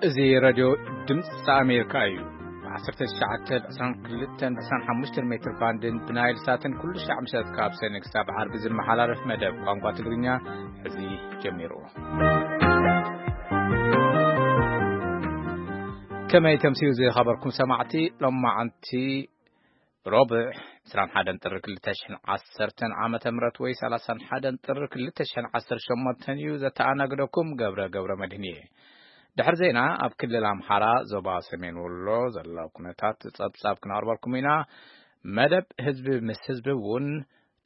እዚ ሬድዮ ድምፂ ኣሜሪካ እዩ። ብ1922-25 ሜትር ባንድን ብናይል ሳትን ኩሉ ሻዕ ምሸት ካብ ሰነ ክሳብ ዓርቢ ዝመሓላለፍ መደብ ቋንቋ ትግርኛ ሕዚ ጀሚሩ። ከመይ ተምስዩ ዝኸበርኩም ሰማዕቲ? ሎማዓንቲ ሮብዕ 21 ጥሪ 2010 ዓመተ ምህረት ወይ 31 ጥሪ 2018 እዩ። ዘተኣናግደኩም ገብረ ገብረ መድህን እየ። ድሕሪ ዜና ኣብ ክልል ኣምሓራ ዞባ ሰሜን ወሎ ዘሎ ኩነታት ጸብጻብ ክነቕርበልኩም ኢና። መደብ ህዝቢ ምስ ህዝቢ እውን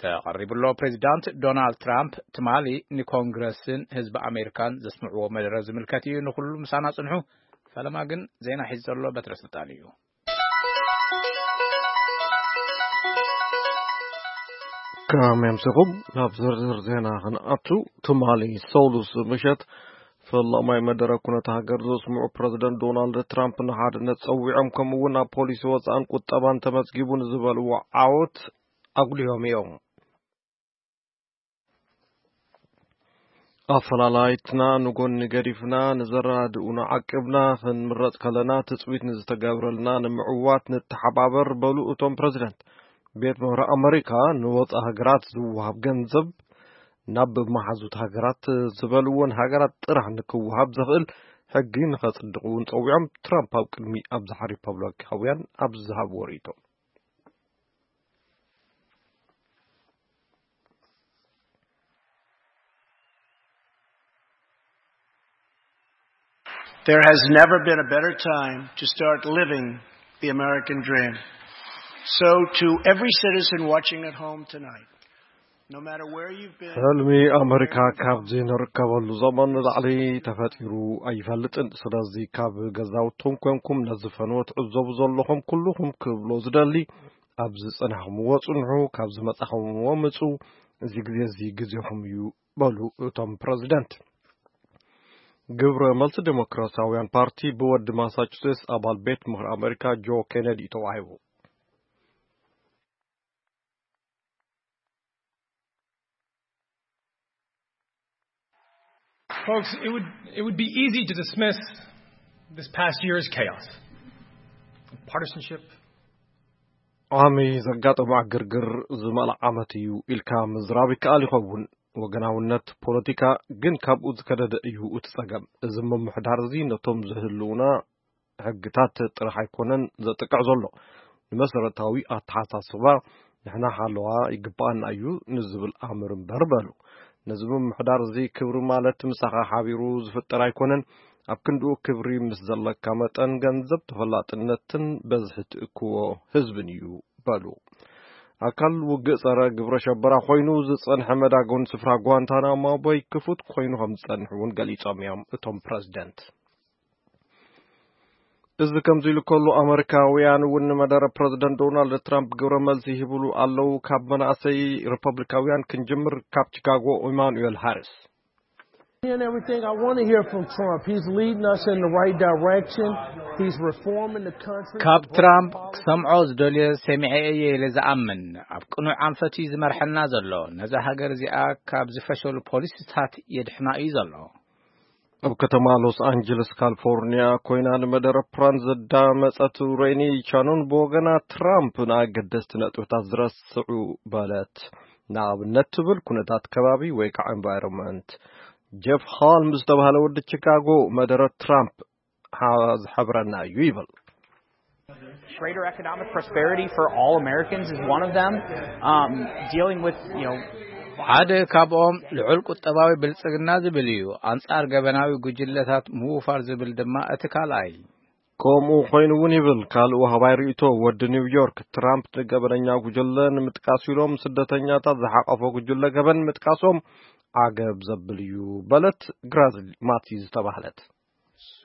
ተቐሪቡ ኣሎ። ፕሬዚዳንት ዶናልድ ትራምፕ ትማሊ ንኮንግረስን ህዝቢ ኣሜሪካን ዘስምዕዎ መደረ ዝምልከት እዩ። ንኹሉ ምሳና ጽንሑ። ፈለማ ግን ዜና ሒዙ ዘሎ በትረ ስልጣን እዩ። ከመይ ኣምሲኹም? ናብ ዝርዝር ዜና ክንኣቱ፣ ትማሊ ሰሉስ ምሸት ፈላማይ መደረ ኩነታ ሃገር ዘስምዑ ፕረዚደንት ዶናልድ ትራምፕ ንሓድነት ጸዊዖም፣ ከምኡ እውን ኣብ ፖሊሲ ወጻእን ቁጠባን ተመዝጊቡ ንዝበልዎ ዓወት ኣጉሊሆም እዮም። ኣፈላላይትና ንጎኒ ገዲፍና፣ ንዘረዳድኡና ዓቂብና ክንምረጽ ከለና፣ ትጽቢት ንዝተገብረልና ንምዕዋት ንተሓባበር፣ በሉ እቶም ፕረዚደንት። ቤት ምኽሪ ኣመሪካ ንወጻኢ ሃገራት ዝወሃብ ገንዘብ ናብ መሓዙት ሃገራት ዝበልወን ሃገራት ጥራሕ ንክወሃብ ዘኽእል ሕጊ ንኸጽድቕ እውን ጸዊዖም። ትራምፕ ኣብ ቅድሚ ኣብዝሓ ሪፐብሊካውያን ኣብ ዝሃብዎ ርእይቶ፣ There has never been a better time to start living the American dream. So, to every citizen watching at home tonight, no matter where you've been, ሕልሚ ኣመሪካ ካብዚ ንርከበሉ ዘመን ንላዕሊ ተፈጢሩ ኣይፈልጥን። ስለዚ ካብ ገዛውትኩም ኮንኩም ነዚ ፈነወ ትዕዘቡ ዘለኹም ኩልኹም ክብሎ ዝደሊ፣ ኣብ ዝጸናሕኩምዎ ጽንሑ፣ ካብ ዝመጻኹምዎ ምጹ፣ እዚ ግዜ እዚ ግዜኹም እዩ፣ በሉ እቶም ፕረዚደንት። ግብረ መልሲ ዴሞክራሲያውያን ፓርቲ ብወዲ ማሳቹሴትስ ኣባል ቤት ምኽሪ ኣመሪካ ጆ ኬነዲ ተዋሂቡ። Folks, it would, it would be easy to dismiss this past year's chaos. Partisanship. ዓሚ ዘጋጠመ ዕግርግር ዝመልኣ ዓመት እዩ ኢልካ ምዝራብ ይከኣል ይኸውን። ወገናውነት ፖለቲካ ግን ካብኡ ዝከደደ እዩ እቲ ጸገም። እዚ ምምሕዳር እዚ ነቶም ዝህልውና ሕግታት ጥራሕ ኣይኮነን ዘጥቅዕ ዘሎ። ንመሰረታዊ ኣተሓሳስባ ንሕና ሓለዋ ይግብኣና እዩ ንዝብል ኣምር እምበር በሉ። ነዚ ምምሕዳር እዚ ክብሪ ማለት ምሳኻ ሓቢሩ ዝፍጠር ኣይኮነን። ኣብ ክንድኡ ክብሪ ምስ ዘለካ መጠን ገንዘብ ተፈላጥነትን በዝሒ ትእክቦ ህዝብን እዩ በሉ። ኣካል ውግእ ጸረ ግብረ ሸበራ ኮይኑ ዝጸንሐ መዳጎን ስፍራ ጓንታናሞ ቦይ ክፉት ኮይኑ ከም ዝጸንሕ እውን ገሊጾም እዮም እቶም ፕረዚደንት። እዚ ከምዚ ኢሉ ከሎ ኣመሪካውያን እውን ንመደረ ፕረዚደንት ዶናልድ ትራምፕ ግብረ መልሲ ይህብሉ ኣለዉ። ካብ መናእሰይ ሪፐብሊካውያን ክንጅምር ካብ ቺካጎ ኢማኑኤል ሃሪስ። And everything I want to hear from Trump. He's leading us in the right direction. He's reforming the country. ካብ ትራምፕ ክሰምዖ ዝደልዮ ሰሚዐ እየ ኢለ ዝኣምን። ኣብ ቅኑዕ ኣንፈት እዩ ዝመርሐና ዘሎ። ነዛ ሃገር እዚኣ ካብ ዝፈሸሉ ፖሊሲታት የድሕና እዩ ዘሎ። ኣብ ከተማ ሎስ ኣንጀለስ ካሊፎርኒያ ኮይና ንመደረ ፕራን ዘዳመጸት ሬኒ ቻኖን ብወገና ትራምፕ ንኣገደስቲ ነጥብታት ዝረስዑ በለት። ንኣብነት ትብል ኩነታት ከባቢ ወይ ከዓ ኤንቫይሮንመንት። ጀፍ ሃልም ዝተባህለ ወዲ ቺካጎ መደረ ትራምፕ ዝሐብረና እዩ ይብል። Greater economic prosperity for all Americans is one of them. Um, dealing with, you know, ሓደ ካብኦም ልዑል ቁጠባዊ ብልጽግና ዝብል እዩ። ኣንጻር ገበናዊ ጉጅለታት ምውፋር ዝብል ድማ እቲ ካልኣይ። ከምኡ ኮይኑ እውን ይብል ካልእ ወሃባይ ርእይቶ ወዲ ኒውዮርክ። ትራምፕ ንገበነኛ ጉጅለ ንምጥቃስ ኢሎም ስደተኛታት ዝሓቐፎ ጉጅለ ገበን ምጥቃሶም ዓገብ ዘብል እዩ በለት ግራዝሊ ማቲ ዝተባህለት።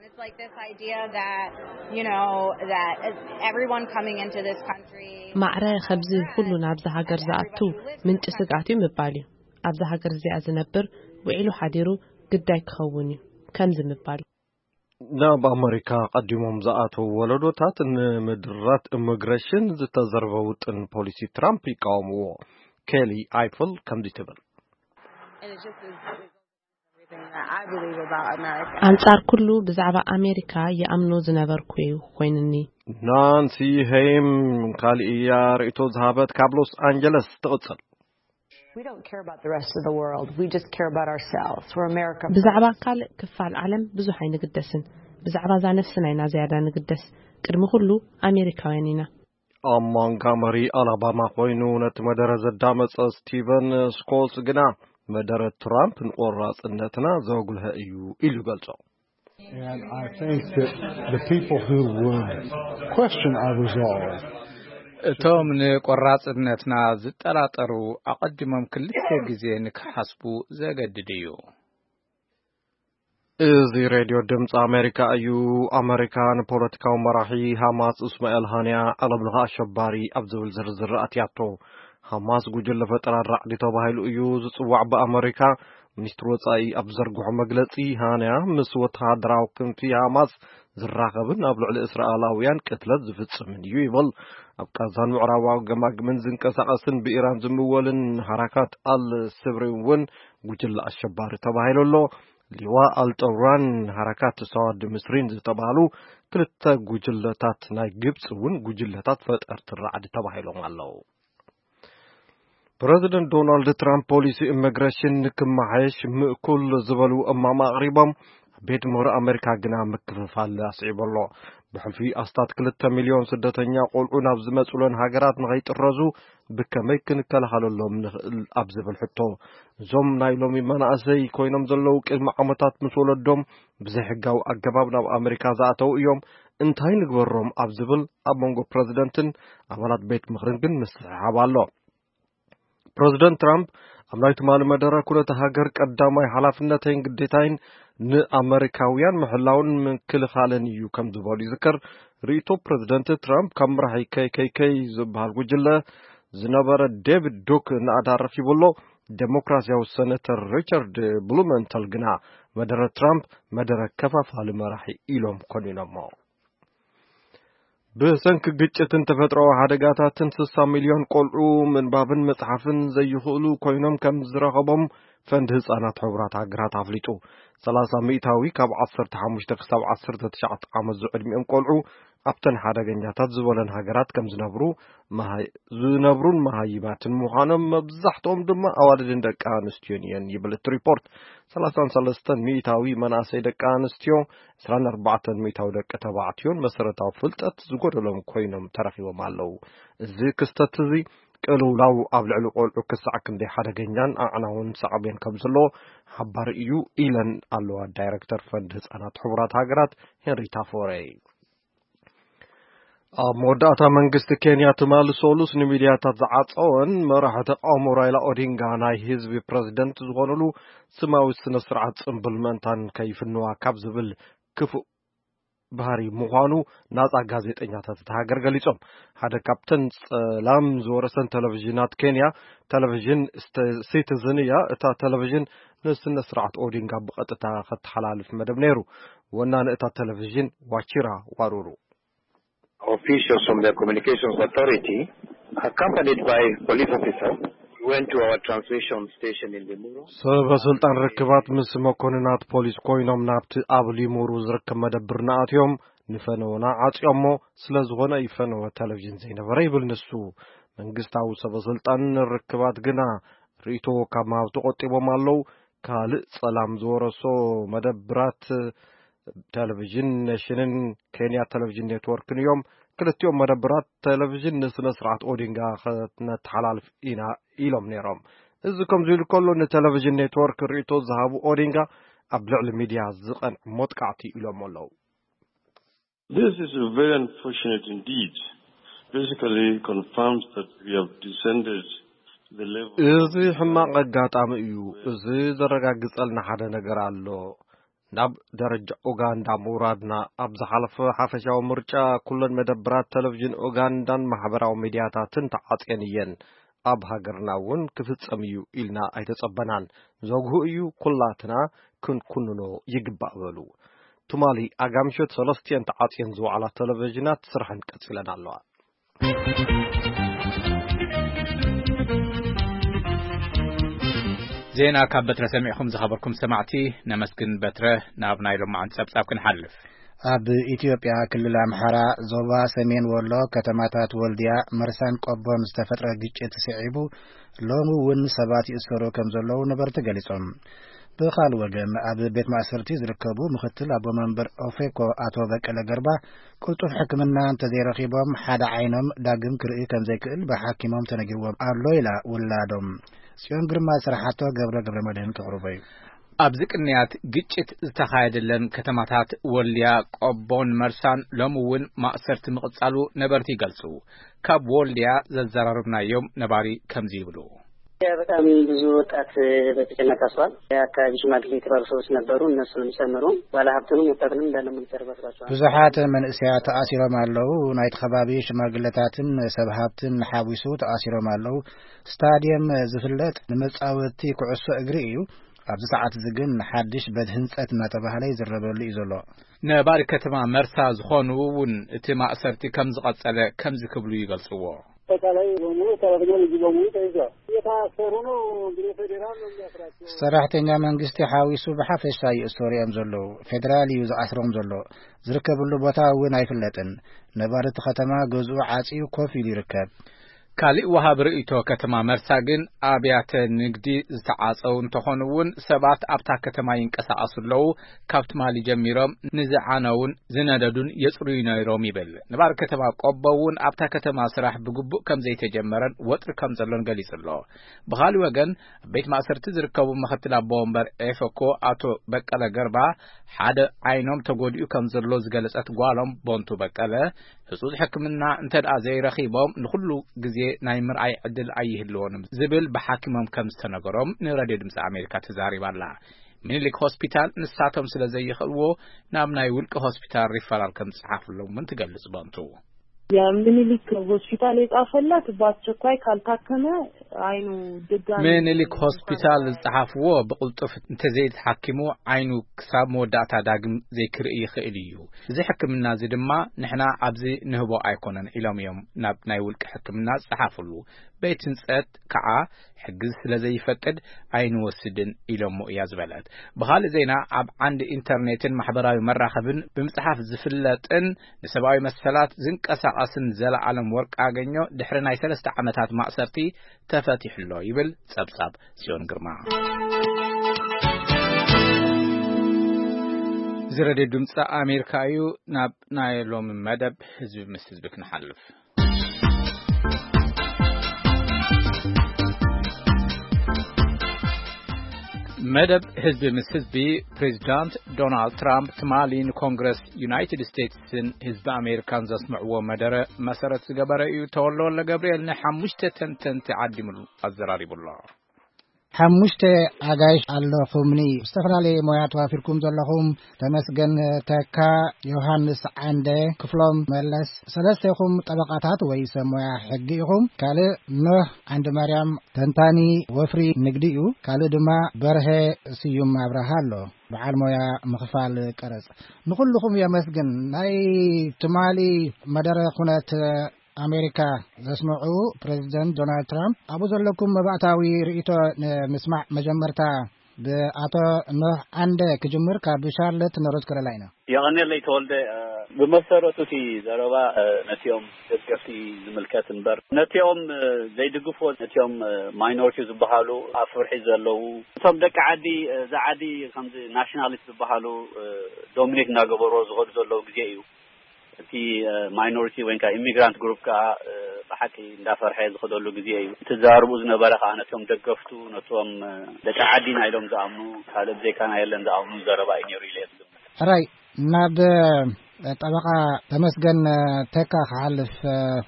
It's like this idea that, you know, that everyone coming into this country. ማዕረ ከምዚ ኩሉ ናብዛ ሃገር ዝኣቱ ምንጪ ስግኣት እዩ ምባል እዩ። ኣብዛ ሃገር እዚኣ ዝነብር ውዒሉ ሓዲሩ ግዳይ ክኸውን እዩ ከምዚ ምባል እዩ። ናብ ኣመሪካ ቀዲሞም ዝኣተዉ ወለዶታት ንምድራት ኢሚግሬሽን ዝተዘርበ ውጥን ፖሊሲ ትራምፕ ይቃወምዎ። ኬሊ ኣይፍል ከምዚ ትብል። I believe about America. ኣንጻር ኩሉ ብዛዕባ ኣሜሪካ ይኣምኖ ዝነበርኩ እዩ ኮይኑኒ። ናንሲ ሄይም ካልእ እያ ርእይቶ ዝሃበት ካብ ሎስ ኣንጀለስ ትቕጽል። We don't care about the rest of the world. We just care about ourselves. We're America. ብዛዕባ ካልእ ክፋል ዓለም ብዙሕ ኣይንግደስን። ብዛዕባ እዛ ነፍስና ኢና ዝያዳ ንግደስ። ቅድሚ ኩሉ ኣሜሪካውያን ኢና። ኣብ ማንጋመሪ ኣላባማ ኮይኑ ነቲ መደረ ዘዳመጸ ስቲቨን ስኮልስ ግና፣ መደረ ትራምፕ ንቆራጽነትና ዘጉልሀ እዩ ኢሉ ይገልጾ። And I think that the people who would question our resolve እቶም ንቆራጽነትና ዝጠራጠሩ ኣቐዲሞም ክልተ ግዜ ንክሓስቡ ዘገድድ እዩ። እዚ ሬድዮ ድምፂ ኣሜሪካ እዩ። ኣሜሪካ ንፖለቲካዊ መራሒ ሃማስ እስማኤል ሃንያ ዓለም ለኸ ኣሸባሪ ኣብ ዝብል ዝርዝር ኣትያቶ። ሃማስ ጉጅለ ፈጠራ ራዕዲ ተባሂሉ እዩ ዝፅዋዕ ብኣሜሪካ። ሚኒስትሪ ወፃኢ ኣብ ዝዘርግሖ መግለፂ፣ ሃንያ ምስ ወተሃደራዊ ክንፊ ሃማስ ዝራኸብን ኣብ ልዕሊ እስራኤላውያን ቅትለት ዝፍጽምን እዩ ይብል። ኣብ ቃዛን ምዕራባዊ ገማግምን ዝንቀሳቐስን ብኢራን ዝምወልን ሃራካት ኣል ስብሪ እውን ጉጅለ ኣሸባሪ ተባሂሉ ኣሎ። ሊዋ ኣልጠውራን ሃራካት ሰዋድ ምስሪን ዝተባህሉ ክልተ ጉጅለታት ናይ ግብፂ እውን ጉጅለታት ፈጠርቲ ራዕዲ ተባሂሎም ኣለዉ። ፕረዚደንት ዶናልድ ትራምፕ ፖሊሲ ኢሚግሬሽን ንክመሓየሽ ምእኩል ዝበሉ እማማ ኣቕሪቦም፣ ቤት ምኽሪ ኣሜሪካ ግና ምክፍፋል ኣስዒቡ ኣሎ። ብሕልፊ ኣስታት ክልተ ሚልዮን ስደተኛ ቆልዑ ናብ ዝመጹለን ሃገራት ንኸይጥረዙ ብከመይ ክንከላኸለሎም ንኽእል ኣብ ዝብል ሕቶ፣ እዞም ናይ ሎሚ መናእሰይ ኮይኖም ዘለዉ ቅድሚ ዓመታት ምስ ወለዶም ብዘይሕጋዊ ኣገባብ ናብ ኣሜሪካ ዝኣተዉ እዮም፣ እንታይ ንግበሮም ኣብ ዝብል ኣብ መንጎ ፕረዚደንትን ኣባላት ቤት ምኽርን ግን ምስሕሓብ ኣሎ። ፕረዚደንት ትራምፕ ኣብ ናይ ትማሊ መደረ፣ ኩነተ ሃገር ቀዳማይ ሓላፍነተይን ግዴታይን ንኣመሪካውያን ምሕላውን ምክልኻልን እዩ ከም ዝበሉ ይዝከር። ርእይቶ ፕረዚደንት ትራምፕ ካብ መራሒ ኬይ ኬይ ኬይ ዝበሃል ጉጅለ ዝነበረ ዴቪድ ዱክ እናኣዳረፍ ይብሎ። ዴሞክራሲያዊ ሰነተር ሪቻርድ ብሉመንተል ግና መደረ ትራምፕ መደረ ከፋፋሊ መራሒ ኢሎም ኮኒኖሞ። ብሰንኪ ግጭትን ተፈጥሮኣዊ ሓደጋታትን ስሳ ሚልዮን ቆልዑ ምንባብን መጽሓፍን ዘይኽእሉ ኮይኖም ከም ዝረኸቦም ፈንድ ህጻናት ሕቡራት ሃገራት ኣፍሊጡ። ሰላሳ ሚእታዊ ካብ ዓሰርተ ሓሙሽተ ክሳብ ዓሰርተ ትሽዓተ ዓመት ዝዕድሚኦም ቆልዑ ኣብተን ሓደገኛታት ዝበለን ሃገራት ከም ዝነብሩ መሃ-፣ ዝነብሩን መሃይማትን ምዃኖም፣ መብዛሕትኦም ድማ ኣዋልድን ደቂ ኣንስትዮን እየን ይብል እቲ ሪፖርት። ሰላሳን ሰለስተን ሚእታዊ መናእሰይ ደቂ ኣንስትዮ፣ ዕስራን ኣርባዕተን ሚእታዊ ደቂ ተባዕትዮን መሰረታዊ ፍልጠት ዝጎደሎም ኮይኖም ተረኺቦም ኣለዉ። እዚ ክስተት እዚ ቅልውላው ኣብ ልዕሊ ቆልዑ ክሳዕ ክንደይ ሓደገኛን ኣዕናውን ሳዕቤን ከም ዘለዎ ሓባሪ እዩ ኢለን ኣለዋ ዳይረክተር ፈንድ ህጻናት ሕቡራት ሃገራት ሄንሪታ ፎረይ። ኣብ መወዳእታ መንግስቲ ኬንያ ትማሊ ሰሉስ ንሚድያታት ዝዓጸወን መራሒ ተቃውሞ ራይላ ኦዲንጋ ናይ ህዝቢ ፕረዚደንት ዝኾኑሉ ስማዊ ስነ ስርዓት ጽምብል ምእንታን ከይፍንዋ ካብ ዝብል ክፉእ ባህሪ ምዃኑ ናጻ ጋዜጠኛታት እታ ሃገር ገሊጾም። ሓደ ካብተን ጸላም ዝወረሰን ቴሌቪዥናት ኬንያ ቴሌቪዥን ስተ-፣ ሲቲዝን እያ። እታ ቴሌቪዥን ንስነ ስርዓት ኦዲንጋ ብቐጥታ ከተሓላልፍ መደብ ነይሩ። ወናኒ እታ ቴሌቪዥን ዋቺራ ዋሩሩ። Officials from the Communications Authority, accompanied by police officers, went to our transmission station in Limuru. ሰበ ስልጣን ርክባት ምስ መኮንናት ፖሊስ ኮይኖም ናብቲ ኣብ ሊሙሩ ዝርከብ መደብርና ኣትዮም፣ ንፈነወና ዓጽዮሞ። ስለ ዝኾነ እዩ ፈነወ ቴሌቪዥን ዘይነበረ ይብል ንሱ። መንግስታዊ ሰበ ስልጣን ርክባት ግና ርእይቶ ካብ ምሃብ ተቆጢቦም ኣለዉ። ካልእ ጸላም ዝወረሶ መደብራት ቴሌቪዥን ኔሽንን ኬንያ ቴሌቪዥን ኔትወርክን እዮም። ክልቲኦም መደብራት ቴሌቪዥን ንስነ ስርዓት ኦዲንጋ ከነተሓላልፍ ኢና ኢሎም ነይሮም። እዚ ከምዚ ኢሉ ከሎ፣ ንቴሌቪዥን ኔትወርክ ርእይቶ ዝሃቡ ኦዲንጋ ኣብ ልዕሊ ሚድያ ዝቐንዕ መጥቃዕቲ ኢሎም ኣለዉ። This is very unfortunate indeed. Basically confirms that we have descended to the level እዚ ሕማቕ ኣጋጣሚ እዩ። እዚ ዘረጋግጸልና ሓደ ነገር ኣሎ። ናብ ደረጃ ኡጋንዳ ምውራድና። ኣብ ዝሓለፈ ሓፈሻዊ ምርጫ ኩለን መደብራት ቴሌቪዥን ኡጋንዳን ማሕበራዊ ሚድያታትን ተዓጽየን እየን። ኣብ ሃገርና እውን ክፍጸም እዩ ኢልና ኣይተጸበናን። ዘጉህ እዩ፣ ኩላትና ክንኩንኖ ይግባእ በሉ። ትማሊ ኣጋምሸት ሰለስቲኤን ተዓጽየን ዝወዓላ ቴሌቪዥናት ስርሐን ቀጺለን ኣለዋ። ዜና ካብ በትረ ሰሚዕኹም ዝኸበርኩም ሰማዕቲ ነመስግን። በትረ፣ ናብ ናይ ሎማዓንቲ ጸብጻብ ክንሓልፍ። ኣብ ኢትዮጵያ ክልል ኣምሓራ ዞባ ሰሜን ወሎ ከተማታት ወልዲያ፣ መርሳን ቆቦን ዝተፈጥረ ግጭት ስዒቡ ሎሚ እውን ሰባት ይእሰሩ ከም ዘለዉ ነበርቲ ገሊጾም። ብኻል ወገን ኣብ ቤት ማእሰርቲ ዝርከቡ ምክትል ኣቦ መንበር ኦፌኮ ኣቶ በቀለ ገርባ ቅልጡፍ ሕክምና እንተዘይረኺቦም ሓደ ዓይኖም ዳግም ክርኢ ከም ዘይክእል ብሓኪሞም ተነጊርዎም ኣሎ ኢላ ውላዶም። ጽዮን ግርማ ዝሰራሓቶ ገብረ ገብረ መድህን ከቕርቦ እዩ። ኣብዚ ቅንያት ግጭት ዝተኻየደለን ከተማታት ወልድያ፣ ቆቦን መርሳን ሎሚ እውን ማእሰርቲ ምቕጻሉ ነበርቲ ይገልጹ። ካብ ወልድያ ዘዘራረብናዮም ነባሪ ከምዚ ይብሉ። በጣም ብዙ ወጣት በተጨነቀ አስሯል። የአካባቢ ሽማግሌ የተባሉ ሰዎች ነበሩ፣ እነሱንም ጨምሮ ባለሀብቱንም ወጣቱንም እንዳለ ሙሉ ጨርባስባቸዋል። ብዙሓት መንእሰያት ተኣሲሮም ኣለዉ። ናይቲ ከባቢ ሽማግለታትን ሰብ ሃብትን ሓዊሱ ተኣሲሮም ኣለዉ። ስታድየም ዝፍለጥ ንመጻወቲ ኩዕሶ እግሪ እዩ። ኣብዚ ሰዓት እዚ ግን ሓድሽ በድ ህንጸት እናተባህለ ይዝረበሉ እዩ ዘሎ። ነባሪ ከተማ መርሳ ዝኾኑ እውን እቲ ማእሰርቲ ከም ዝቐጸለ ከምዚ ክብሉ ይገልጽዎ። አጠቃላይ በሙሉ ሰራተኛ ልጁ በሙሉ ተይዟል። እየታሰሩ ነው እንግዲህ፣ ፌዴራል ነው የሚያስራቸው። ሰራሕተኛ መንግስቲ ሓዊሱ ብሓፈሻ ይእሰሩ እዮም ዘለዉ። ፌዴራል እዩ ዝኣስሮም ዘሎ። ዝርከብሉ ቦታ እውን ኣይፍለጥን። ነባሪ እቲ ከተማ ገዝኡ ዓጽዩ ኮፍ ኢሉ ይርከብ። ካልእ ወሃቢ ርእይቶ ከተማ መርሳ ግን ኣብያተ ንግዲ ዝተዓጸው እንተኾኑ እውን ሰባት ኣብታ ከተማ ይንቀሳቐሱ ኣለዉ። ካብ ትማሊ ጀሚሮም ንዝዓነውን ዝነደዱን የጽርዩ ነይሮም ይብል። ነባሪ ከተማ ቆቦ እውን ኣብታ ከተማ ስራሕ ብግቡእ ከም ዘይተጀመረን ወጥሪ ከም ዘሎን ገሊጹ ኣሎ። ብኻልእ ወገን ኣብ ቤት ማእሰርቲ ዝርከቡ ምክትል ኣቦ ወንበር ኤፈኮ ኣቶ በቀለ ገርባ ሓደ ዓይኖም ተጎዲኡ ከም ዘሎ ዝገለጸት ጓሎም ቦንቱ በቀለ ህጹጽ ሕክምና እንተ ደኣ ዘይረኺቦም ንኹሉ ግዜ ናይ ምርኣይ ዕድል ኣይህልዎን ዝብል ብሓኪሞም ከም ዝተነገሮም ንሬድዮ ድምጺ ኣሜሪካ ተዛሪባ ኣላ። ሚኒሊክ ሆስፒታል ንሳቶም ስለ ዘይኽእልዎ ናብ ናይ ውልቂ ሆስፒታል ሪፈራል ከም ዝጸሓፍሎም እውን ትገልጽ ቦንቱ። የምኒልክ ሆስፒታል የጻፈላት በአስቸኳይ ካልታከመ አይኑ ድጋሚ ምኒልክ ሆስፒታል ዝጸሓፍዎ ብቕልጡፍ እንተዘይተሓኪሙ ዓይኑ ክሳብ መወዳእታ ዳግም ዘይክርኢ ይኽእል እዩ። እዚ ሕክምና እዚ ድማ ንሕና ኣብዚ ንህቦ ኣይኮነን ኢሎም እዮም ናብ ናይ ውልቂ ሕክምና ዝጸሓፍሉ። ቤት ህንጸት ከዓ ሕጊ ስለ ዘይፈቅድ ኣይንወስድን ኢሎሞ እያ ዝበለት። ብኻልእ ዜና ኣብ ዓንዲ ኢንተርኔትን ማሕበራዊ መራኸብን ብምጽሓፍ ዝፍለጥን ንሰብኣዊ መሰላት ዝንቀሳቐስን ዘለኣለም ወርቅ ኣገኘው ድሕሪ ናይ ሰለስተ ዓመታት ማእሰርቲ ተፈቲሑ ኣሎ ይብል ጸብጻብ ጽዮን ግርማ። እዚ ሬድዮ ድምፂ ኣሜሪካ እዩ። ናብ ናይ ሎሚ መደብ ህዝቢ ምስ ህዝቢ ክንሓልፍ። መደብ ህዝቢ ምስ ህዝቢ ፕሬዚዳንት ዶናልድ ትራምፕ ትማሊ ንኮንግረስ ዩናይትድ ስቴትስን ህዝቢ ኣሜሪካን ዘስምዕዎ መደረ መሰረት ዝገበረ እዩ። ተወልደ ወልደ ገብርኤል ንሓሙሽተ ተንተንቲ ዓዲሙሉ ኣዘራሪቡ ኣሎ። ሓሙሽተ ኣጋይሽ ኣለኹምኒ። ዝተፈላለየ ሞያ ተዋፊርኩም ዘለኹም ተመስገን ተካ፣ ዮሃንስ ዓንደ፣ ክፍሎም መለስ፣ ሰለስቴኹም ጠበቃታት ወይ ሰብ ሞያ ሕጊ ኢኹም። ካልእ ኖህ ዓንደ ማርያም ተንታኒ ወፍሪ ንግዲ እዩ። ካልእ ድማ በርሀ ስዩም ኣብርሃ ኣሎ፣ በዓል ሞያ ምኽፋል ቀረጽ። ንኹልኹም የመስግን። ናይ ትማሊ መደረ ኩነት ኣሜሪካ ዘስምዑ ፕሬዚደንት ዶናልድ ትራምፕ፣ ኣብኡ ዘለኩም መባእታዊ ርእይቶ ንምስማዕ መጀመርታ ብኣቶ ኖህ ዓንደ ክጅምር ካብ ሻርለት ኖርዝ ካሮላይና። የቐኔለይ ተወልደ። ብመሰረቱ እቲ ዘረባ ነቲኦም ደገፍቲ ዝምልከት እምበር ነቲኦም ዘይድግፍዎ፣ ነቲኦም ማይኖሪቲ ዝበሃሉ ኣብ ፍርሒ ዘለዉ፣ እቶም ደቂ ዓዲ፣ እዛ ዓዲ ከምዚ ናሽናሊስት ዝበሃሉ ዶሚኔት እናገበርዎ ዝኸዱ ዘለዉ ግዜ እዩ። እቲ ማይኖሪቲ ወይ ከዓ ኢሚግራንት ግሩፕ ከዓ ብሓቂ እንዳፈርሐ ዝኸደሉ ግዜ እዩ። እቲ ዘራርቡ ዝነበረ ከዓ ነቶም ደገፍቱ፣ ነቶም ደቂ ዓዲና ኢሎም ዝኣምኑ፣ ካልእ ብዘይካና የለን ዝኣምኑ ዘረባ እዩ ነይሩ ኢለ እየ ዝግምት። ሕራይ፣ ናብ ጠበቃ ተመስገን ተካ ክሓልፍ፣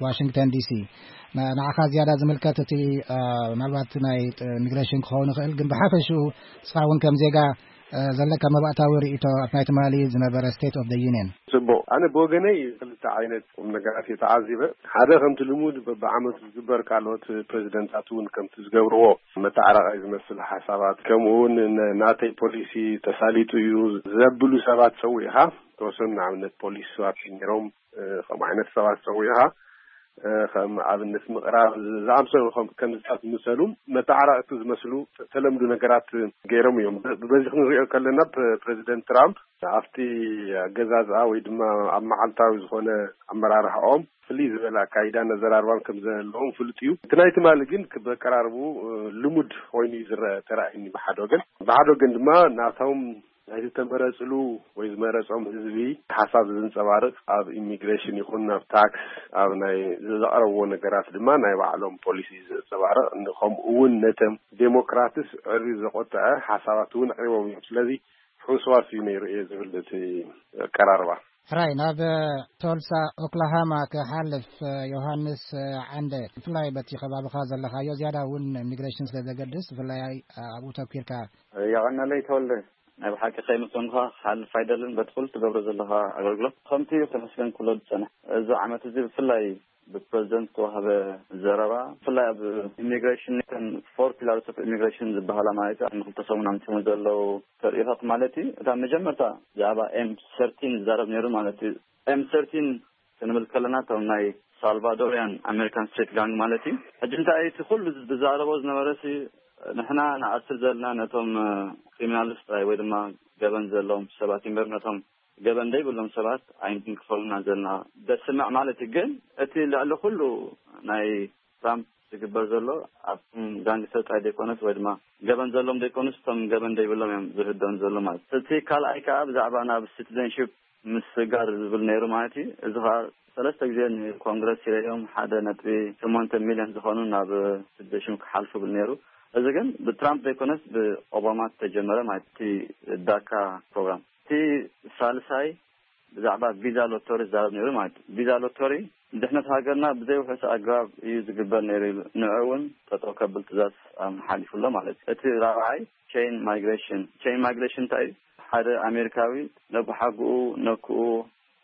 ዋሽንግተን ዲሲ። ንዓኻ ዝያዳ ዝምልከት እቲ ምናልባት ናይ ኢሚግሬሽን ክኸውን ይኽእል፣ ግን ብሓፈሽኡ ንስኻ እውን ከም ዜጋ ዘለካ መባእታዊ ርእይቶ ኣብ ናይ ትማሊ ዝነበረ ስቴት ኦፍ ዩኒየን? ጽቡቕ። ኣነ ብወገነይ ክልተ ዓይነት ቁም ነገራት እየ ተዓዚበ። ሓደ፣ ከምቲ ልሙድ በብዓመቱ ዝግበር፣ ካልኦት ፕሬዚደንታት እውን ከምቲ ዝገብርዎ መተዓራቓይ ዝመስል ሓሳባት፣ ከምኡ እውን ን-፣ ናተይ ፖሊሲ ተሳሊጡ እዩ ዘብሉ ሰባት ጸዊዕኻ፣ ተወሰኑ ንኣብነት ፖሊሲ ሰባት ነይሮም፣ ከምኡ ዓይነት ሰባት ጸዊዕኻ ከም ኣብነት ምቕራብ ዝኣምሰሉ ከምዝታት ዝመሰሉ መተዓራረቕቲ ዝመስሉ ተለምዶ ነገራት ገይሮም እዮም። በዚ ክንሪኦ ከለና ፕሬዚደንት ትራምፕ ኣብቲ ኣገዛዝኣ ወይ ድማ ኣብ መዓልታዊ ዝኾነ ኣመራርሓኦም ፍልይ ዝበለ ኣካይዳ ነዘራርባም ከም ዘለዎም ፍሉጥ እዩ። እቲ ናይ ትማሊ ግን በቀራርቡ ልሙድ ኮይኑ እዩ ዝረአ ተራእዩኒ ብሓደ ወገን። ብሓደ ወገን ድማ ናቶም ናይ ዝተመረፅሉ ወይ ዝመረፆም ህዝቢ ሓሳብ ዝንፀባርቕ ኣብ ኢሚግሬሽን ይኹን ኣብ ታክስ ኣብ ናይ ዘቕረብዎ ነገራት ድማ ናይ ባዕሎም ፖሊሲ ዝንፀባርቕ ከምኡ እውን ነተም ዴሞክራትስ ዕሪ ዘቆጠዐ ሓሳባት እውን ኣቅሪቦም እዮም። ስለዚ ሕውስዋስ እዩ ነይሩ እየ ዝብል እቲ ኣቀራርባ። ሕራይ ናብ ቶልሳ ኦክላሃማ ክሓልፍ። ዮሃንስ ዓንደ፣ ብፍላይ በቲ ከባቢኻ ዘለኻዮ ዝያዳ እውን ኢሚግሬሽን ስለ ዘገድስ ብፍላይ ኣብኡ ተኪርካ። የቐነለይ ተወልደ፣ ናይ ብሓቂ ከይምሰንኳ ክሓልፍ ኣይደልን በቲ ኩሉ ትገብሮ ዘለኻ ኣገልግሎት ከምቲ እዩ ተመስገን ኩሎ ዝጸንሕ። እዚ ዓመት እዚ ብፍላይ ብፕረዚደንት ዝተዋህበ ዘረባ ብፍላይ ኣብ ኢሚግሬሽን ተን ፎር ፒላርስ ኦፍ ኢሚግሬሽን ዝበሃላ ማለት እዩ ንክልተ ሰሙን ኣምፅሙ ዘለዉ ተርእዮታት ማለት እዩ። እታ መጀመርታ ብዛዕባ ኤም ሰርቲን ዝዛረብ ነይሩ ማለት እዩ። ኤም ሰርቲን ክንብል ከለና እቶም ናይ ሳልቫዶሪያን ኣሜሪካን ስትሪት ጋንግ ማለት እዩ። ሕጂ እንታይ እቲ ኩሉ ዝዛረቦ ዝነበረ ሲ ንሕና ንኣስር ዘለና ነቶም ክሪሚናልስ ጥራይ ወይ ድማ ገበን ዘለዎም ሰባት እምበር ነቶም ገበን ዘይብሎም ሰባት ኣይንክፈሉና ዘለና ደስምዕ ማለት እዩ። ግን እቲ ልዕሊ ኩሉ ናይ ትራምፕ ዝግበር ዘሎ ኣብቶም ጋንግስተር ጥራይ ዘይኮነስ ወይ ድማ ገበን ዘሎም ዘይኮኑስ እቶም ገበን ዘይብሎም እዮም ዝህደኑ ዘሎ ማለት እዩ። እቲ ካልኣይ ከዓ ብዛዕባ ናብ ሲቲዘንሽፕ ምስጋር ዝብል ነይሩ ማለት እዩ። እዚ ከዓ ሰለስተ ግዜ ንኮንግረስ ይረዮም ሓደ ነጥቢ ሸሞንተ ሚሊዮን ዝኾኑ ናብ ሲቲዘንሽፕ ክሓልፉ ብል ነይሩ። እዚ ግን ብትራምፕ ዘይኮነስ ብኦባማ ዝተጀመረ ማለት እቲ ዳካ ፕሮግራም። እቲ ሳልሳይ ብዛዕባ ቪዛ ሎቶሪ ዝዛረብ ነይሩ ማለት እዩ። ቪዛ ሎቶሪ ድሕነት ሃገርና ብዘይውሑስ ኣግባብ እዩ ዝግበር ነይሩ ኢሉ ንዑ እውን ጠጠው ከብል ትእዛዝ ኣመሓሊፉ ኣሎ ማለት እዩ። እቲ ራብዓይ ቼን ማይግሬሽን። ቼን ማይግሬሽን እንታይ እዩ? ሓደ ኣሜሪካዊ ነቦሓጉኡ ነክኡ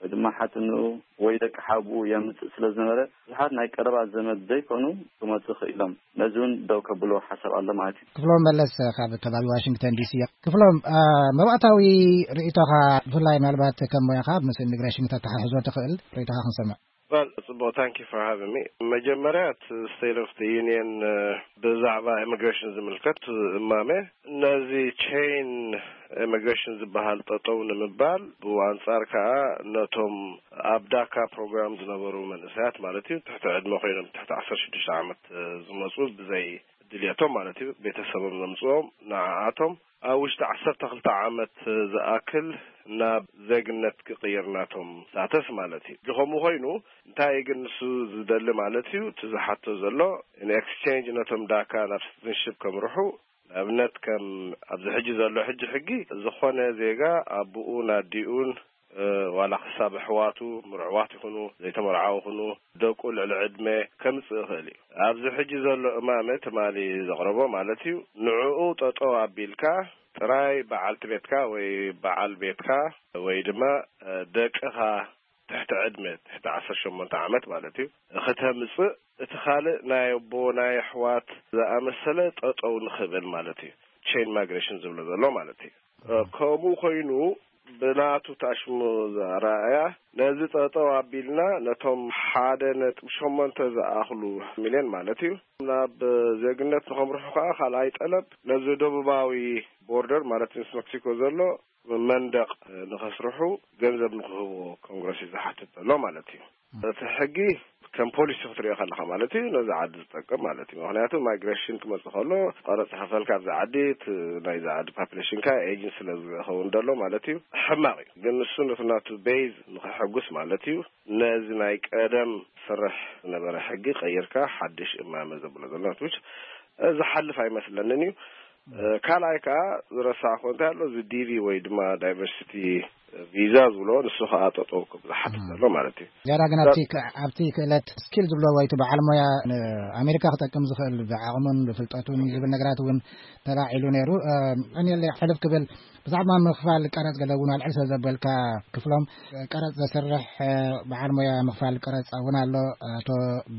ወይ ድማ ሓትንኡ ወይ ደቂ ሓብኡ የምፅእ ስለ ዝነበረ ብዙሓት ናይ ቀረባ ዘመድ ዘይኮኑ ክመፁ ክኢሎም ነዚ እውን ደው ከብልዎ ሓሳብ ኣሎ ማለት እዩ። ክፍሎም መለስ ካብ ከባቢ ዋሽንግተን ዲሲ። ክፍሎም፣ መባእታዊ ርእይቶኻ ብፍላይ ምናልባት ከም ሞያኻ ምስ ኢሚግሬሽን ከተተሓሕዞ ትኽእል ርእይቶኻ ክንሰምዕ። Well, it's about thank you for having me. መጀመርያ እቲ ስቴት ኦፍ ዩኒየን ብዛዕባ ኢሚግሬሽን ዝምልከት እማመ ነዚ ቼን ኢሚግሬሽን ዝበሃል ጠጠው ንምባል ብኣንጻር ከዓ ነቶም ኣብ ዳካ ፕሮግራም ዝነበሩ መንእሰያት ማለት እዩ ትሕቲ ዕድመ ኮይኖም ትሕቲ ዓሰርተ ሽዱሽተ ዓመት ዝመፁ ብዘይ ድልየቶም ማለት እዩ ቤተሰቦም ዘምፅኦም ንዓኣቶም ኣብ ውሽጢ ዓሰርተ ክልተ ዓመት ዝኣክል ናብ ዜግነት ክቕይር ናቶም ሳተስ ማለት እዩ። ከምኡ ኮይኑ እንታይ ግን ንሱ ዝደሊ ማለት እዩ እቲ ዝሓቶ ዘሎ ኤክስቼንጅ ነቶም ዳካ ናብ ሲቲዝንሽፕ ከምርሑ ንኣብነት ከም ኣብዚ ሕጂ ዘሎ ሕጂ ሕጊ ዝኾነ ዜጋ ኣቦኡን ኣዲኡን ዋላ ክሳብ ኣሕዋቱ ምርዕዋት ይኹኑ ዘይተመርዓው ይኹኑ ደቁ ልዕሊ ዕድመ ከምፅእ ይኽእል እዩ። ኣብዚ ሕጂ ዘሎ እማመ ትማሊ ዘቕረቦ ማለት እዩ ንዕኡ ጠጠው ኣቢልካ ጥራይ በዓልቲ ቤትካ ወይ በዓል ቤትካ ወይ ድማ ደቅኻ ትሕቲ ዕድመ ትሕቲ ዓሰርተ ሸሞንተ ዓመት ማለት እዩ ከተምፅእ እቲ ካልእ ናይ ኣቦ ናይ ኣሕዋት ዝኣመሰለ ጠጠው ንኽብል ማለት እዩ። ቼን ማይግሬሽን ዝብሎ ዘሎ ማለት እዩ። ከምኡ ኮይኑ ብናቱ ታሽሙ ዘረኣያ ነዚ ጠጠው ኣቢልና ነቶም ሓደ ነጥቢ ሸሞንተ ዝኣኽሉ ሚልዮን ማለት እዩ ናብ ዜግነት ንኸምርሑ ከዓ ካልኣይ ጠለብ ነዚ ደቡባዊ ቦርደር ማለት ምስ መክሲኮ ዘሎ መንደቕ ንኸስርሑ ገንዘብ ንክህብዎ ኮንግረስ እዩ ዝሓትት ዘሎ ማለት እዩ። እቲ ሕጊ ከም ፖሊሲ ክትሪኦ ከለካ ማለት እዩ ነዚ ዓዲ ዝጠቅም ማለት እዩ። ምክንያቱ ማይግሬሽን ክመፅእ ከሎ ቀረፅ ከፈልካ ኣብዚ ዓዲ ናይዚ ዓዲ ፓፕሌሽንካ ኤጅን ስለ ዝኸውን ዘሎ ማለት እዩ ሕማቅ እዩ። ግን ንሱ ነቲ ናቱ ቤዝ ንክሕጉስ ማለት እዩ ነዚ ናይ ቀደም ስርሕ ዝነበረ ሕጊ ቀይርካ ሓድሽ እማመ ዘብሎ ዘሎ ዝሓልፍ ኣይመስለንን እዩ። ካልኣይ ከዓ ዝረሳዕኮ እንታይ ኣሎ እዚ ዲቪ ወይ ድማ ዳይቨርሲቲ ቪዛ ዝብሎ ንሱ ከዓ ጠጠው ክብል ዝሓትት ዘሎ ማለት እዩ። ዝያዳ ግን ኣብቲ ክእለት ስኪል ዝብሎ ወይ እቲ በዓል ሞያ ንኣሜሪካ ክጠቅም ዝኽእል ብዓቕሙን ብፍልጠቱን ዝብል ነገራት እውን ተላዒሉ ነይሩ። ቀኒለ ሕልፍ ክብል ብዛዕባ ምኽፋል ቀረፅ ገለ እውን ኣልዕል ስለ ዘበልካ ክፍሎም ቀረፅ ዘስርሕ በዓል ሞያ ምኽፋል ቀረፅ እውን ኣሎ። ኣቶ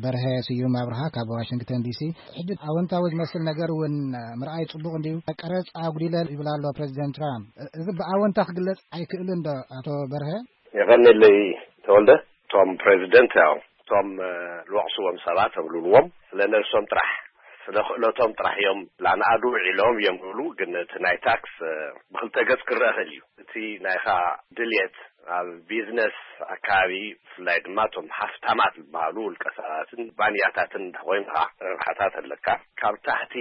በርሀ ስዩም ኣብርሃ ካብ ዋሽንግተን ዲሲ ሕጂ ኣወንታዊ ዝመስል ነገር እውን ምርኣይ ፅቡቅ እንድዩ። ቀረፅ ኣጉዲለ ይብል ኣሎ ፕሬዚደንት ትራምፕ። እዚ ብኣወንታ ክግለፅ ኣይክእልን ዶ ኣቶ በርሀ? የቐንየለይ ተወልደ። እቶም ፕሬዚደንት ያው እቶም ዝወቕስዎም ሰባት ኣብልልዎም ስለ ነብሶም ጥራሕ ስለ ክእለቶም ጥራሕ እዮም ላንኣዱ ውዒሎም እዮም ዝብሉ። ግን እቲ ናይ ታክስ ብክልተ ገጽ ክረአ ክእል እዩ። እቲ ናይኻ ድልየት ኣብ ቢዝነስ ኣካባቢ፣ ብፍላይ ድማ እቶም ሃፍታማት ዝበሃሉ ውልቀ ሰባትን ባንያታትን እንተኮይንካ፣ ረብሓታት ኣለካ። ካብ ታሕቲ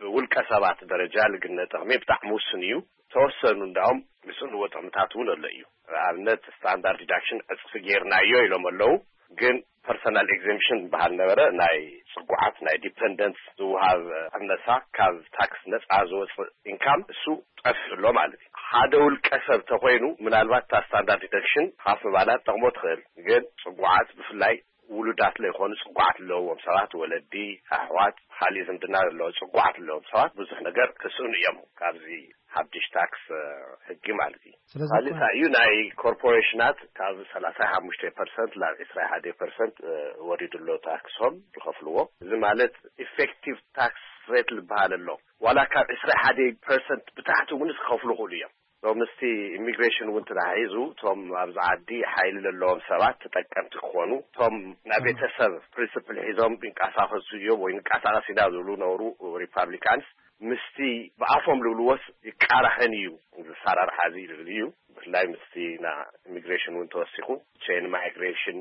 ብውልቀ ሰባት ደረጃ ልግነ ጥቕሚ ብጣዕሚ ውሱን እዩ። ተወሰኑ እንዳውም ዝስእንዎ ጥቕምታት እውን ኣሎ እዩ። ንኣብነት ስታንዳርድ ዲዳክሽን ዕፅፊ ጌርናዮ ኢሎም ኣለዉ። ግን ፐርሰናል ኤግዘምፕሽን ዝበሃል ነበረ፣ ናይ ፅጉዓት ናይ ዲፐንደንትስ ዝወሃብ ቅነሳ፣ ካብ ታክስ ነፃ ዝወፅእ ኢንካም፣ እሱ ጠፊኡ ኣሎ ማለት እዩ። ሓደ ውልቀ ሰብ ተኮይኑ ምናልባት እታ ስታንዳርድ ዲዳክሽን ሃፍ ምባላ ትጠቕሞ ትኽእል። ግን ፅጉዓት ብፍላይ ውሉዳት ለይኮኑ ፅጉዓት ኣለዎም ሰባት፣ ወለዲ፣ ኣሕዋት፣ ካሊእ ዝምድና ዘለዎ ፅጉዓት ኣለዎም ሰባት ብዙሕ ነገር ክስእኑ እዮም ካብዚ ሓድሽ ታክስ ሕጊ ማለት እዩ። ስለዚ ካሊእ እንታይ እዩ፣ ናይ ኮርፖሬሽናት ካብ ሰላሳ ሓሙሽተ ፐርሰንት ናብ ዕስራ ሓደ ፐርሰንት ወሪዱ ኣሎ ታክሶም ዝኸፍልዎ። እዚ ማለት ኢፌክቲቭ ታክስ ሬት ዝበሃል ኣሎ። ዋላ ካብ ዕስራ ሓደ ፐርሰንት ብታሕቲ እውን ክኸፍሉ ይኽእሉ እዮም። ምስቲ ኢሚግሬሽን እውን ተተሓሒዙ እቶም ኣብዚ ዓዲ ሓይሊ ዘለዎም ሰባት ተጠቀምቲ ክኾኑ፣ እቶም ናይ ቤተሰብ ፕሪንስፕል ሒዞም ይንቀሳቐሱ እዮም ወይ ንቀሳቐስ ኢና ዝብሉ ነበሩ ሪፓብሊካንስ፣ ምስቲ ብኣፎም ዝብልዎስ ይቃራኸን እዩ ዝሰራርሓ እዚ ዝብል እዩ። ብፍላይ ምስቲ ና ኢሚግሬሽን እውን ተወሲኹ ቼን ማይግሬሽን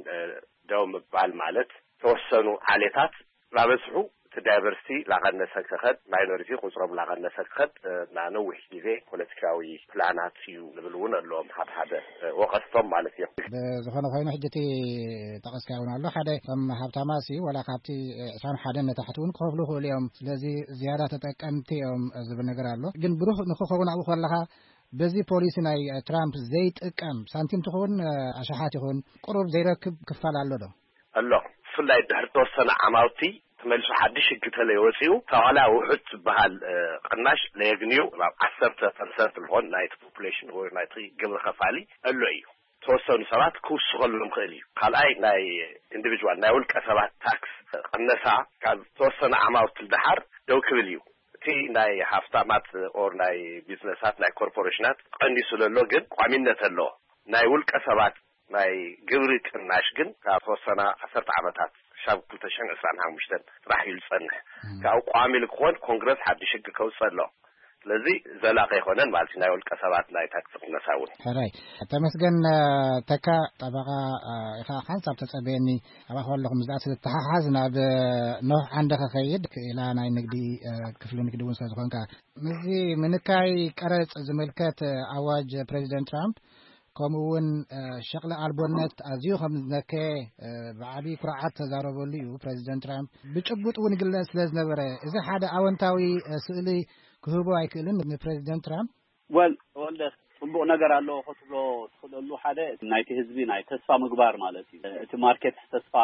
ደው ምባል ማለት ተወሰኑ ዓሌታት ላበዝሑ እቲ ዳይቨርሲቲ ላቐነሰ ክኸድ፣ ማይኖሪቲ ቁፅሮም ላቐነሰ ክኸድ፣ እ፣ ና ነዊሕ ግዜ ፖለቲካዊ ፕላናት እዩ ዝብል እውን ኣለዎም ሓደ ሓደ፣ እ፣ ወቐስቶም ማለት እዮም። ብዝኾነ ኮይኑ ሕጂ እቲ ጠቐስካዮ እውን ኣሎ። ሓደ እቶም ሃብታማት እዩ ዋላ ካብቲ ዕስራን ሓደን ንታሕቲ እውን ክኸፍሉ ይኽእሉ እዮም። ስለዚ ዝያዳ ተጠቀምቲ እዮም ዝብል ነገር ኣሎ። ግን ብሩህ ንክኸውን ኣብኡ ከለኻ በዚ ፖሊሲ ናይ ትራምፕ ዘይጥቀም ሳንቲም ትኹን፣ እ፣ ኣሽሓት ይኹን ቁሩብ ዘይረክብ ክፋል ኣሎ ዶ? ኣሎ። ብፍላይ ድሕሪ ተወሰነ ዓማውቲ ተመሊሱ ሓድሽ ሕጊ ተለይ ወፂኡ፣ እታ ዋላ ውሑድ ዝበሃል፣ እ፣ ቅናሽ ለየግንዩ ናብ ዓሰርተ ፐርሰንት ዝኾን ናይቲ ፖፑሌሽን ወይ ናይቲ ግብሪ ከፋሊ ኣሎ እዩ። ተወሰኑ ሰባት ክውስኸሎም ክእል እዩ። ካልኣይ ናይ ኢንዲቪጁዋል ናይ ውልቀ ሰባት ታክስ ቅነሳ ካብ ተወሰነ ዓማውቲ ደሓር ደው ክብል እዩ። እቲ ናይ ሃፍታማት ኦር ናይ ቢዝነሳት ናይ ኮርፖሬሽናት ቀኒሱ ዘሎ ግን ቋሚነት ኣለዎ። ናይ ውልቀ ሰባት ናይ ግብሪ ቅናሽ ግን ካብ ተወሰና ዓሰርተ ዓመታት ክሻብ ክልተ ሽሕን ዕስራን ሓሙሽተን ጥራሕ እዩ ዝጸንሕ። እም። ካብ ቋሚ ልክኾን ኮንግረስ ሓድሽ ሕጊ ከውፅእ ኣሎ። ስለዚ ዘላቂ ኣይኮነን ማለት እዩ ናይ ውልቀ ሰባት ናይ ታክሲ ቅነሳ እውን። ሕራይ ተመስገን፣ እ፣ ተካ ጠበቃ፣ እ፣ ኢኻ ሓንሳብ ተጸበየኒ። ኣባኻ ኣለኹ ምስ ዳኣ ዝተሓሓዝ ናብ፣ እ፣ ኖህ ዓንደ ከኸይድ ክኢላ ናይ ንግዲ፣ እ፣ ክፍሊ ንግዲ እውን ስለ ዝኾንካ ምስዚ ምንካይ ቀረጽ ዝምልከት፣ እ፣ ኣዋጅ ፕሬዚደንት ትራምፕ ከምኡ እውን፣ እ፣ ሸቕሊ ኣልቦነት ኣዝዩ ከም ዝነከየ፣ እ፣ ብዓቢ ኩርዓት ተዛረበሉ እዩ ፕሬዚደንት ትራምፕ። ብጭቡጥ እውን ይግለጽ ስለ ዝነበረ፣ እዚ ሓደ ኣወንታዊ፣ እ፣ ስእሊ ክህቦ ኣይክእልን ንፕሬዚደንት ትራምፕ? ወል፣ ተወልደ፣ ጽቡቕ ነገር ኣለዎ ክትብሎ ትኽእለሉ ሓደ ናይቲ ህዝቢ ናይ ተስፋ ምግባር ማለት እዩ። እቲ ማርኬት ተስፋ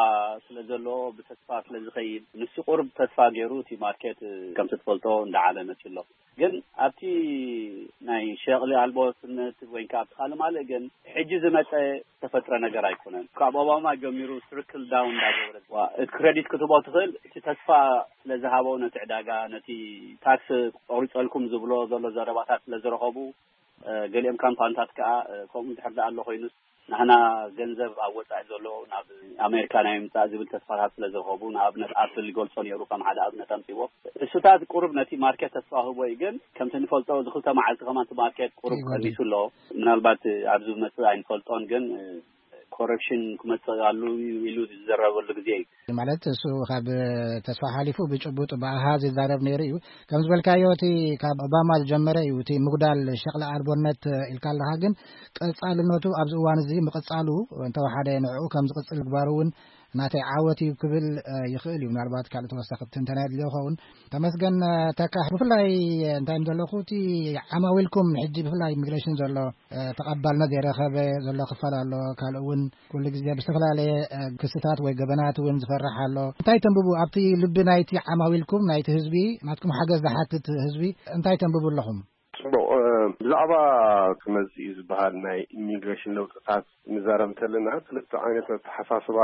ስለ ዘለዎ፣ ብተስፋ ስለ ዝኸይድ፣ ንሱ ቁሩብ ተስፋ ገይሩ እቲ ማርኬት፣ ከምቲ ትፈልጦ፣ እንዳዓለ መጺኡ ኣሎ። ግን ኣብቲ ናይ ሸቕሊ ኣልቦነት ወይ ከዓ ኣብቲ ካልእ ማልእ ግን ሕጂ ዝመጸ ዝተፈጥረ ነገር ኣይኮነን። ካብ ኦባማ ጀሚሩ ትርክል ዳውን እንዳገበረ፣ ዋ፣ እቲ ክሬዲት ክትቦ ትኽእል፣ እቲ ተስፋ ስለ ዝሃበው ነቲ ዕዳጋ፣ ነቲ ታክስ ቆሪጸልኩም ዝብሎ ዘሎ ዘረባታት ስለ ዝረኸቡ፣ እ፣ ገሊኦም ካምፓንታት ከዓ፣ እ፣ ከምኡ እንድሕር ደኣ ኣሎ ኮይኑስ፣ ንሕና ገንዘብ ኣብ ወጻኢ ዘሎ ናብ ኣሜሪካ ናይ ምምጻእ ዝብል ተስፋታት ስለ ዝረኸቡ፣ ንኣብነት ኣፕል ይገልጾ ነይሩ ከም ሓደ ኣብነት ኣምጺዎ። እሱታት ቁሩብ ነቲ ማርኬት ተስፋ ህቦ እዩ፣ ግን ከምቲ ንፈልጦ እዚ ክልተ መዓልቲ ከማን እቲ ማርኬት ቁሩብ ይጎድል። ቀኒሱ ኣሎ። ምናልባት ኣብዚ ዝመጽእ ኣይንፈልጦን፣ ግን፣ እ፣ ኮረክሽን ክመጽእ ኣሉ ኢሉ ዝዘረበሉ ግዜ እዩ። ማለት እሱ ካብ ተስፋ ሓሊፉ ብጭቡጥ ብኣሃዝ ይዛረብ ነይሩ እዩ። ከም ዝበልካዮ እቲ ካብ ኦባማ ዝጀመረ እዩ እቲ ምጉዳል ሸቕሊ ኣልቦነት ኢልካ ኣለኻ። ግን ቀጻልነቱ ኣብዚ እዋን እዚ ምቕጻሉ እንተወሓደ ንዕኡ ከም ዝቕጽል ምግባሩ እውን ናተይ ዓወት እዩ ክብል፣ እ፣ ይኽእል እዩ። ምናልባት ካልእ ተወሳኺ ትንተና የድልዮ ይኸውን። ተመስገን፣ እ፣ ተካ፣ ብፍላይ እንታይ ዘለኹ እቲ ዓማዊልኩም ሕጂ ብፍላይ ኢሚግሬሽን ዘሎ፣ እ፣ ተቐባልነት ዘይረኸበ ዘሎ ክፋል ኣሎ። ካልእ እውን ኩሉ ግዜ ብዝተፈላለየ፣ እ፣ ክስታት ወይ ገበናት እውን ዝፈርሕ ኣሎ። እንታይ ተንብቡ ኣብቲ ልቢ ናይቲ ዓማዊልኩም ናይቲ ህዝቢ ናትኩም ሓገዝ ዝሓትት ህዝቢ እንታይ ተንብቡ ኣለኹም? ጽቡቕ፣ እ፣ ብዛዕባ ክመጽእ እዩ ዝበሃል ናይ ኢሚግሬሽን ለውጥታት ንዛረብ እንተለና ክልተ ዓይነት ኣተሓሳስባ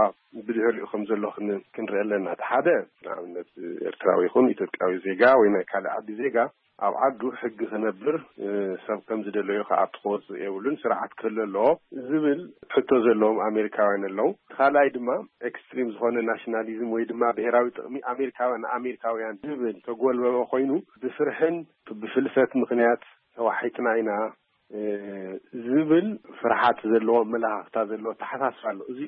ብድሕሪኡ ከም ዘሎ ክን-፣ ክንርኢ ኣለና። እቲ ሓደ ንኣብነት ኤርትራዊ ይኹን ኢትዮጵያዊ ዜጋ ወይ ናይ ካልእ ዓዲ ዜጋ ኣብ ዓዱ ሕጊ ክነብር፣ እ፣ ሰብ ከም ዝደለዮ ክኣቱ ክወጽእ የብሉን፣ ስርዓት ክህሉ ኣለዎ ዝብል ሕቶ ዘለዎም ኣሜሪካውያን ኣለዉ። እቲ ካልኣይ ድማ ኤክስትሪም ዝኾነ ናሽናሊዝም ወይ ድማ ብሄራዊ ጥቕሚ ኣሜሪካውያን ንኣሜሪካውያን ዝብል ተጎልበበ ኮይኑ፣ ብፍርሕን ብፍልሰት ምኽንያት ተዋሒጥና ኢና፣ እ፣ ዝብል ፍርሓት ዘለዎ ኣመለኻኽታ ዘለዎ ኣተሓሳስባ ኣሎ። እዚ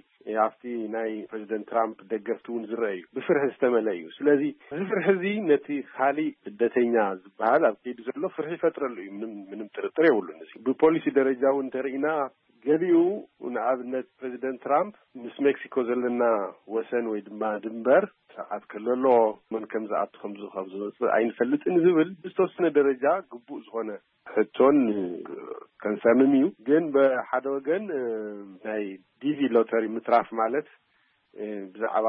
ኣብቲ ናይ ፕሬዚደንት ትራምፕ ደገፍቲ እውን ዝረአ እዩ። ብፍርሒ ዝተመልአ እዩ። ስለዚ እዚ ፍርሒ እዚ ነቲ ካሊእ ስደተኛ ዝበሃል ኣብ ከይዲ ዘሎ ፍርሒ ይፈጥረሉ እዩ። ምንም፣ ምንም ጥርጥር የብሉን። እዚ ብፖሊሲ ደረጃ እውን እንተርኢና፣ ገሊኡ፣ ንኣብነት ፕሬዚደንት ትራምፕ ምስ ሜክሲኮ ዘለና ወሰን ወይ ድማ ድንበር ስርዓት ክህሉ ኣለዎ፣ መን ከም ዝኣቱ ከም ዝ-፣ ከም ዝወፅእ ኣይንፈልጥን ዝብል ብዝተወሰነ ደረጃ ግቡእ ዝኾነ ሕቶን ከንሰርንን እዩ። ግን ብሓደ ወገን፣ እ፣ ናይ ዲቪ ሎተሪ ምትራፍ ማለት፣ እ፣ ብዛዕባ፣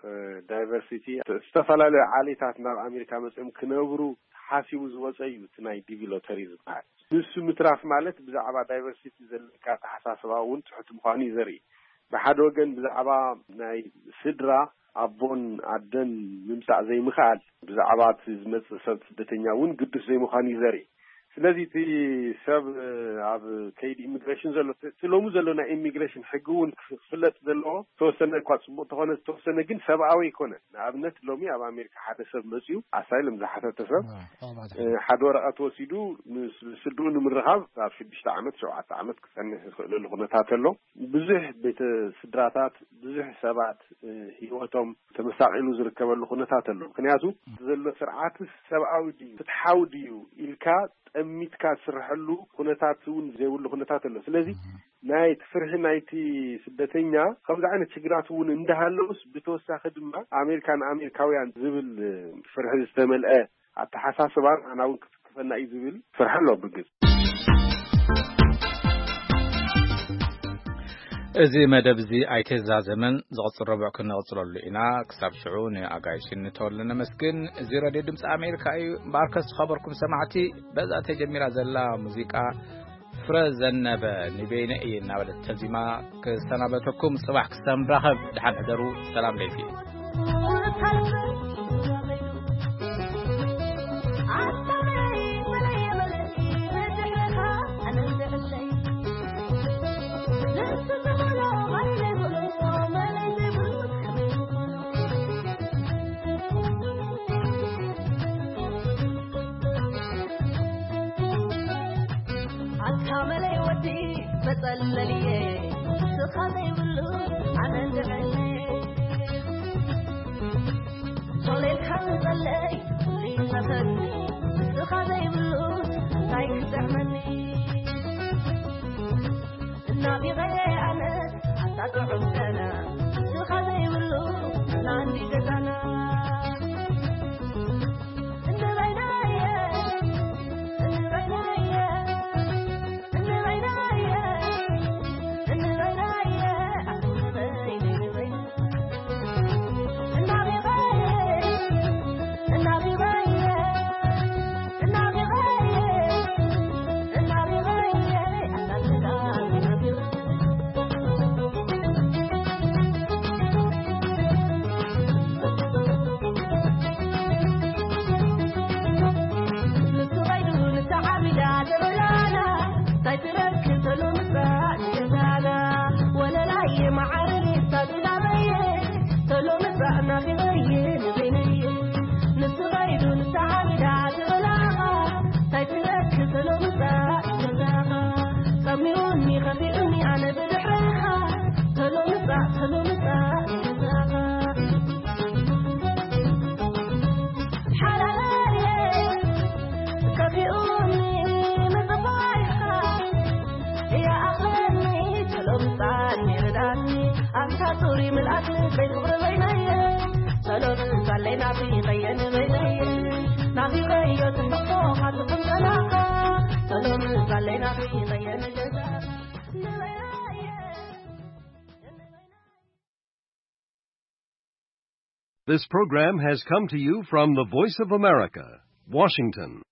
እ፣ ዳይቨርሲቲ፣ ዝተፈላለዩ ዓሌታት ናብ ኣሜሪካ መፅኦም ክነብሩ ተሓሲቡ ዝወፀ እዩ እቲ ናይ ዲቪ ሎተሪ ዝበሃል። ንሱ ምትራፍ ማለት ብዛዕባ ዳይቨርሲቲ ዘለካ ኣተሓሳስባ እውን ትሑት ምዃኑ እዩ ዘርኢ። ብሓደ ወገን ብዛዕባ ናይ ስድራ ኣቦን ኣደን ምምጻእ ዘይምኽኣል፣ ብዛዕባ እቲ ዝመጽእ ሰብ ስደተኛ እውን ግዱስ ዘይምዃኑ እዩ ዘርኢ። ስለዚ እቲ ሰብ ኣብ ከይዲ ኢሚግሬሽን ዘሎ፣ እቲ ሎሚ ዘሎ ናይ ኢሚግሬሽን ሕጊ እውን ክፍለጥ ዘለዎ፣ ዝተወሰነ እኳ ጽቡቕ ተኾነ፣ ዝተወሰነ ግን ሰብኣዊ ኣይኮነን። ንኣብነት ሎሚ ኣብ ኣሜሪካ ሓደ ሰብ መጺኡ ኣሳይለም ዝሓተተ ሰብ፣ እ፣ ሓደ ወረቐት ወሲዱ ምስ ስድኡ ንምርኻብ ኣብ ሽዱሽተ ዓመት፣ ሸውዓተ ዓመት ክጸንሕ ዝኽእለሉ ኩነታት ኣሎ። ብዙሕ ቤተ ስድራታት፣ ብዙሕ ሰባት፣ እ፣ ህይወቶም ተመሳቒሉ ዝርከበሉ ኩነታት ኣሎ። ምክንያቱ ዘሎ ስርዓት ሰብኣዊ ድዩ፣ ፍትሓዊ ድዩ ኢልካ ጠሚትካ ዝስርሐሉ ኩነታት እውን ዘይብሉ ኩነታት ኣሎ። ስለዚ ናይ ፍርሒ ናይቲ ስደተኛ ከምዚ ዓይነት ሽግራት እውን እንዳሃለውስ፣ ብተወሳኺ ድማ ኣሜሪካ ንኣሜሪካውያን ዝብል ፍርሒ ዝተመልአ ኣተሓሳስባ ንዓና እውን ክትክፈና እዩ ዝብል ፍርሒ ኣሎ ብግልፂ። እዚ መደብ እዚ ኣይተዛዘመን፣ ዝቕጽል ረቡዕ ክንቕጽለሉ ኢና። ክሳብ ሽዑ ንኣጋይሽ እንተወሉ ነመስግን። እዚ ሬድዮ ድምፂ ኣሜሪካ እዩ። እምበኣርከስ ዝኸበርኩም ሰማዕቲ፣ በዛ ተጀሚራ ዘላ ሙዚቃ ፍረ ዘነበ ንበይነ እየ እናበለት ተዚማ ክሰናበተኩም። ጽባሕ ክሳብ ንራኸብ፣ ደሓን ሕደሩ። ሰላም ለይቲ። ኣታ መለይ ወዲ መጸለልየ፣ ስኻ ዘይብሉ ኣነ እንድዕነ። ቶሌልካ ንጸለይ ይመኸኒ፣ ስኻ ዘይብሉ እንታይ ክጥዕመኒ? እናቢቐየ ኣነ ኣታ ጥዑም ጨና፣ ስኻ ዘይብሉ ናንዲ ገዛና። This program has come to you from the Voice of America, Washington.